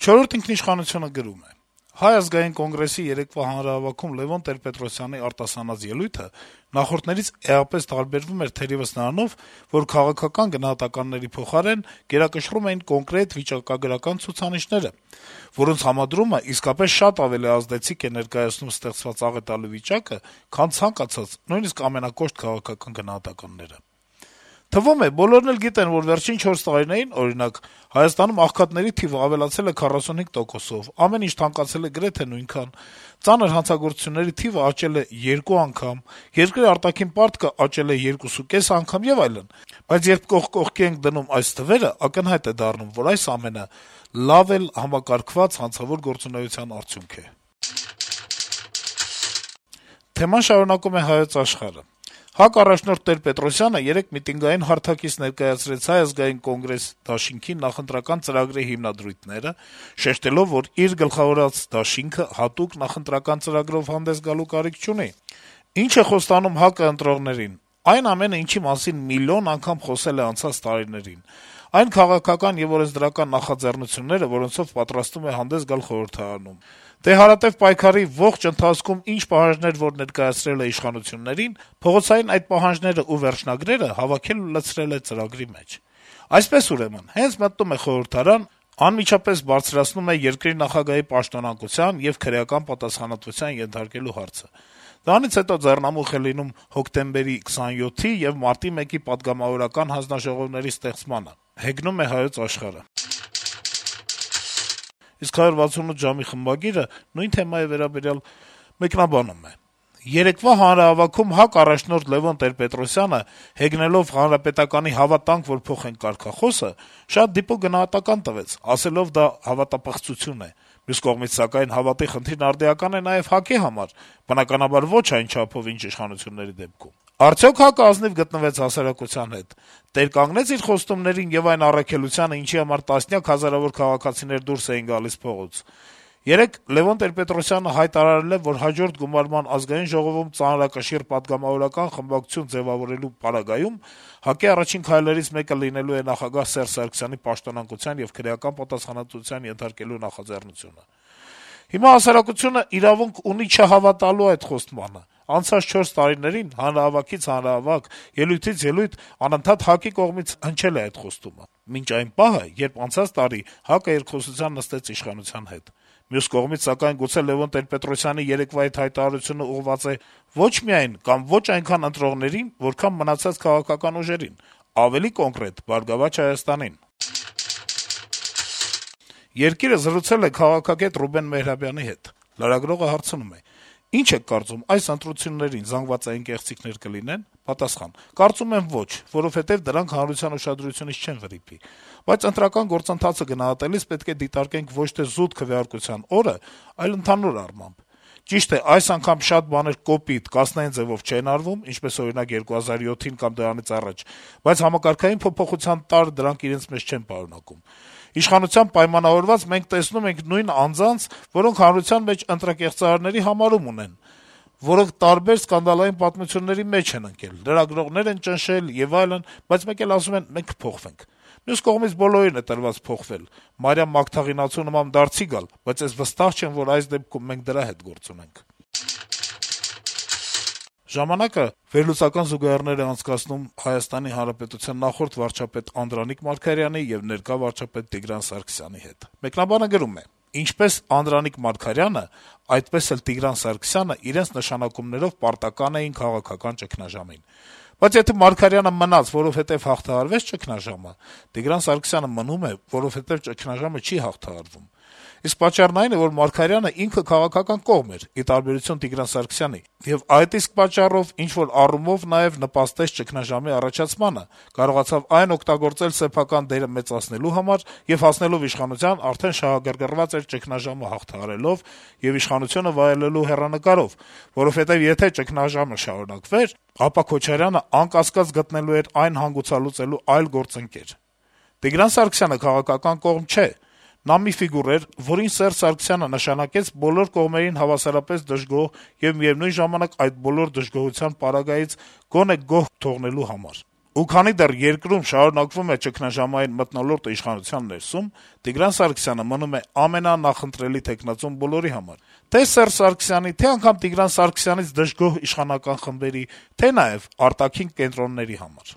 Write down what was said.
«Չորրորդ ինքնիշխանություն»-ը գրում է. - «Հայ ազգային կոնգրեսի երեկվա հանրահավաքում Լեւոն Տեր-Պետրոսյանի արտասանած ելույթը նախորդներից էապես տարբերվում էր թերեւս նրանով, որ քաղաքական գնահատականների փոխարեն գերակշռում էին կոնկրետ վիճակագրական ցուցանիշները, որոնց համադրումը իսկապես շատ ավելի ազդեցիկ է ներկայացնում ստեղծված աղետալի վիճակը, քան ցանկացած, նույնիսկ ամենակոշտ քաղաքական գնահատականները։ Թվում է, բոլորն էլ գիտեն, որ վերջին 4 տարիներին, օրինակ, Հայաստանում աղքատների թիվը ավելացել է 45%-ով, ամեն ինչ թանկացել է գրեթե նույնքան, ծանր հանցագործությունների թիվը աճել է 2 անգամ, երկրի արտաքին պարտքը աճել է 2.5 անգամ եւ այլն, բայց երբ կողք կողքի ենք դնում այս թվերը, ակնհայտ է դառնում, որ այս ամենը լավ էլ համակարգված հանցավոր գործունեության արդյունք է»։ Թեման շարունակում է «Հայոց Աշխարհ»-ը. «ՀԱԿ առաջնորդ Տեր-Պետրոսյանը երեկ միտինգային հարթակից ներկայացրեց Հայ ազգային կոնգրես դաշինքի նախընտրական ծրագրի հիմնադրույթները, շեշտելով, որ իր գլխավորած դաշինքը հատուկ նախընտրական ծրագրով հանդես գալու կարիք չունի։ Ինչ է խոստանում ՀԱԿ-ը ընտրողներին։ Այն ամենը, ինչի մասին միլիոն անգամ խոսել է անցած տարիներին։ Այն քաղաքական եւ օրենսդրական նախաձեռնությունները, որոնցով պատրաստվում է հանդես գալ խորհրդարանում։ Դե հարատեւ պայքարի ողջ ընթացքում ինչ պահանջներ որ ներկայացրել է իշխանություններին, փողոցային այդ պահանջները ու վերջնագրերը հավաքել ու լցրել է ծրագրի մեջ։ Այսպես ուրեմն, հենց մտնում է խորհրդարան, անմիջապես բարձրացնում է երկրի նախագահի պաշտոնանկության եւ քրեական պատասխանատվության ենթարկելու հարցը։ Դրանից հետո ձեռնամուխ է լինում հոկտեմբերի 27-ի եւ մարտի 1-ի պատգամավորական հանձնաժողովների ստեղծմանը։ Հեգնում է «Հայոց Աշխարհ»-ը։ Իսկ 168 ժամի խմբագիրը նույն թեմայի վերաբերյալ մեկնաբանում է. - «Երեկվա հանրահավաքում ՀԱԿ առաջնորդ Լեւոն Տեր-Պետրոսյանը, հեգնելով Հանրապետականի «Հավատանք, որ փոխենք» կարգախոսը, շատ դիպուկ գնահատական տվեց, ասելով դա հավատապղծություն է։ Մյուս կողմից, սակայն, հավատի խնդիրն արդիական է նաեւ ՀԱԿ-ի համար, բնականաբար ոչ այն չափով, ինչ իշխանությունների դեպքում։ Արդյոք ՀԱԿ-ը ազնիվ գտնվեց հասարակության հետ, տեր կանգնեց իր խոստումներին եւ այն առաքելությանը, ինչի համար տասնյակ հազարավոր քաղաքացիներ դուրս էին գալիս փողոց։ Երեկ Լեւոն Տեր-Պետրոսյանը հայտարարել է, որ հաջորդ գումարման ազգային ժողովում ծանրակշիռ պատգամավորական խմբակցություն ձեւավորելու պարագայում ՀԱԿ-ի առաջին քայլերից մեկը լինելու է նախագահ Սերժ Սարգսյանի պաշտոնանկության եւ քրեական պատասխանատվության ենթարկելու նախաձեռնությունը։ Հիմա հասարակությունը իրավունք ունի չհավատալու այդ խոստմանը։ Անցած 4 տարիներին հանրահավաքից հանրահավաք, ելույթից ելույթ անընդհատ ՀԱԿ-ի կողմից հնչել է այդ խոստումը։ Մինչ այն պահը, երբ անցած տարի ՀԱԿ-ը երկխոսության նստեց իշխանության հետ։ Մյուս կողմից, սակայն, գուցե Լեւոն Տեր-Պետրոսյանի երեկվա այդ հայտարարությունը ուղղված է ոչ միայն կամ ոչ այնքան ընտրողներին, որքան մնացած քաղաքական ուժերին, ավելի կոնկրետ՝ «Բարգավաճ Հայաստանին»։ «Երկիր»-ը զրուցել է քաղաքագետ Ռուբեն Մեհրաբյանի հետ։ Լրագրողը հարցնում է. - «Ինչ եք կարծում, այս ընտրություններին զանգվածային կեղծիքներ կլինեն»։ Պատասխան. - «Կարծում եմ ոչ, որովհետեւ դրանք հանրության ուշադրությունից չեն վրիպի, բայց ընտրական գործընթացը գնահատելիս պետք է դիտարկենք ոչ թե զուտ քվեարկության օրը, այլ ընդհանուր առմամբ։ Ճիշտ է, այս անգամ շատ բաներ կոպիտ, կասնային ձեւով չեն արվում, ինչպես օրինակ 2007-ին կամ դրանից առաջ, բայց համակարգային փոփոխության տարր դրանք իրենց մեջ չեն պարունակում։ Իշխանությամբ պայմանավորված մենք տեսնում ենք նույն անձանց, որոնք հանրության մեջ ընտրակեղծարարների համարում ունեն, որոնք տարբեր սկանդալային պատմությունների մեջ են ընկել, լրագրողներ են ճնշել եւ այլն, բայց մեկ էլ ասում են մենք կփոխվենք։ Մյուս կողմից բոլորին է տրված փոխվել, Մարիամ Մագդաղինացու նման դարձի գալ, բայց ես վստահ չեմ, որ այս դեպքում մենք դրա հետ գործ ունենք»։ «Ժամանակ»-ը վերլուծական զուգահեռներ է անցկացնում Հայաստանի Հանրապետության նախորդ վարչապետ Անդրանիկ Մարգարյանի եւ ներկա վարչապետ Տիգրան Սարգսյանի հետ։ Մեկնաբանը գրում է. - «Ինչպես Անդրանիկ Մարգարյանը, այդպես էլ Տիգրան Սարգսյանը իրենց նշանակումներով պարտական էին քաղաքական ճգնաժամին։ Բայց եթե Մարգարյանը մնաց, որովհետեւ հաղթահարվեց ճգնաժամը, Տիգրան Սարգսյանը մնում է, որովհետեւ ճգնաժամը չի հաղթահարվում։ Իսկ պատճառն այն է, որ Մարգարյանը ինքը քաղաքական կողմ էր, ի տարբերություն Տիգրան Սարգսյանի, եւ այդ իսկ պատճառով ինչ-որ առումով նաեւ նպաստեց ճգնաժամի առաջացմանը, կարողացավ այն օգտագործել սեփական դերը մեծացնելու համար եւ հասնելով իշխանության արդեն շահագրգռված էր ճգնաժամը հաղթահարելով եւ իշխանությունը վայելելու հեռանկարով, որովհետեւ եթե ճգնաժամը շարունակվեր, ապա Քոչարյանը անկասկած գտնելու էր այն հանգուցալուծելու այլ գործընկեր։ Տիգրան Սարգսյանը քաղաքական կողմ չէ։ Նա մի ֆիգուր էր, որին Սերժ Սարգսյանը նշանակեց բոլոր կողմերին հավասարապես դժգոհ եւ միեւնույն ժամանակ այդ բոլոր դժգոհության պարագայից գոնե գոհ թողնելու համար։ Ու քանի դեռ երկրում շարունակվում է ճգնաժամային մթնոլորտը իշխանության ներսում, Տիգրան Սարգսյանը մնում է ամենանախընտրելի թեկնածուն բոլորի համար: Թե Սերժ Սարգսյանի, թե անգամ Տիգրան Սարգսյանից դժգոհ իշխանական խմբերի, թե նաեւ արտաքին կենտրոնների համար: